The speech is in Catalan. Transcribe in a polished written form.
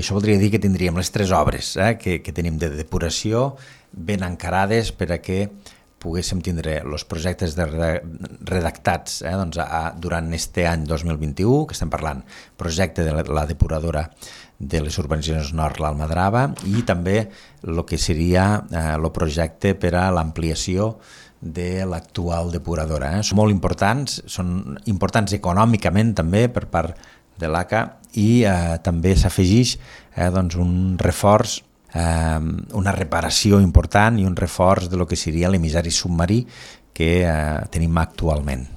Això voldria dir que tindríem les 3 obres que tenim de depuració ben encarades per a que poguéssim tindre els projectes redactats durant este any 2021, que estem parlant projecte de la depuradora de les urbanitzacions Nord l'Almadrava i també el que seria el projecte per a l'ampliació de l'actual depuradora. Són molt importants, són importants econòmicament també per part de l'ACA i també s'afegeix un reforç, una reparació important i un reforç de lo que seria l'emissari submarí que tenim actualment.